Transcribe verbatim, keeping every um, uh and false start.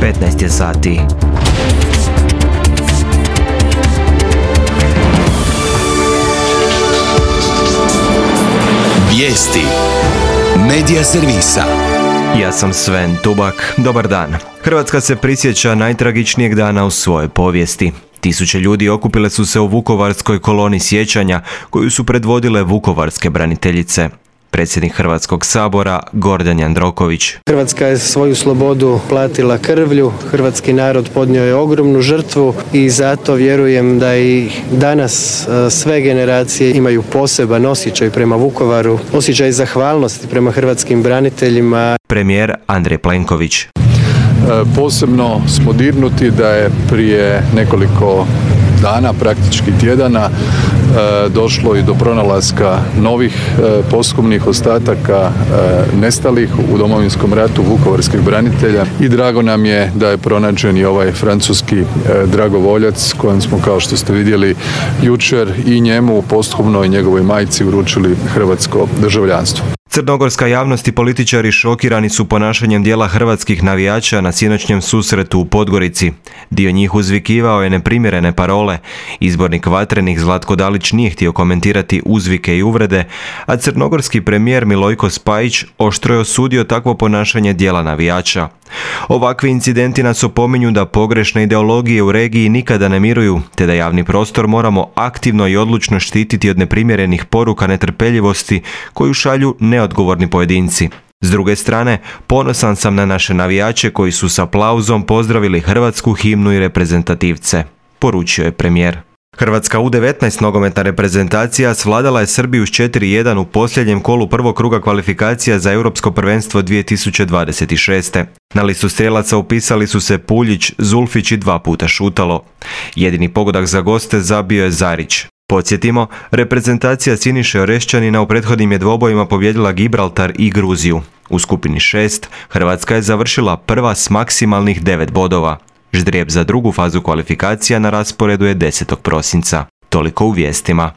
petnaest je sati. Vijesti Medija servisa. Ja sam Sven Tubak. Dobar dan. Hrvatska se prisjeća najtragičnijeg dana u svojoj povijesti. Tisuće ljudi okupile su se u Vukovarskoj koloni sjećanja koju su predvodile vukovarske braniteljice. Predsjednik Hrvatskog sabora Gordan Jandroković. Hrvatska je svoju slobodu platila krvlju, hrvatski narod podnio je ogromnu žrtvu i zato vjerujem da i danas sve generacije imaju poseban osjećaj prema Vukovaru, osjećaj zahvalnosti prema hrvatskim braniteljima. Premijer Andrej Plenković. Posebno smo dirnuti da je prije nekoliko dana, praktički tjedana, došlo i do pronalaska novih posthumnih ostataka nestalih u Domovinskom ratu vukovarskih branitelja i drago nam je da je pronađen i ovaj francuski dragovoljac kojem smo, kao što ste vidjeli jučer, i njemu posthumno i njegovoj majci uručili hrvatsko državljanstvo. Crnogorska javnost i političari šokirani su ponašanjem dijela hrvatskih navijača na sinoćnjem susretu u Podgorici. Dio njih uzvikivao je neprimjerene parole. Izbornik Vatrenih Zlatko Dalić nije htio komentirati uzvike i uvrede, a crnogorski premijer Milojko Spajić oštro je osudio takvo ponašanje dijela navijača. Ovakvi incidenti nas opominju da pogrešne ideologije u regiji nikada ne miruju, te da javni prostor moramo aktivno i odlučno štititi od neprimjerenih poruka netrpeljivosti koju šalju neodgovorni pojedinci. S druge strane, ponosan sam na naše navijače koji su s aplauzom pozdravili hrvatsku himnu i reprezentativce, poručio je premijer. Hrvatska U devetnaest nogometna reprezentacija svladala je Srbiju s četiri jedan u posljednjem kolu prvog kruga kvalifikacija za Europsko prvenstvo dvije tisuće dvadeset šeste. Na listu strijelaca upisali su se Puljić, Zulfić i dva puta Šutalo. Jedini pogodak za goste zabio je Zarić. Podsjetimo, reprezentacija Siniše Orešćanina u prethodnim je dvobojima pobijedila Gibraltar i Gruziju. U skupini šest Hrvatska je završila prva s maksimalnih devet bodova. Ždrijeb za drugu fazu kvalifikacija na rasporedu je desetog prosinca. Toliko u vijestima.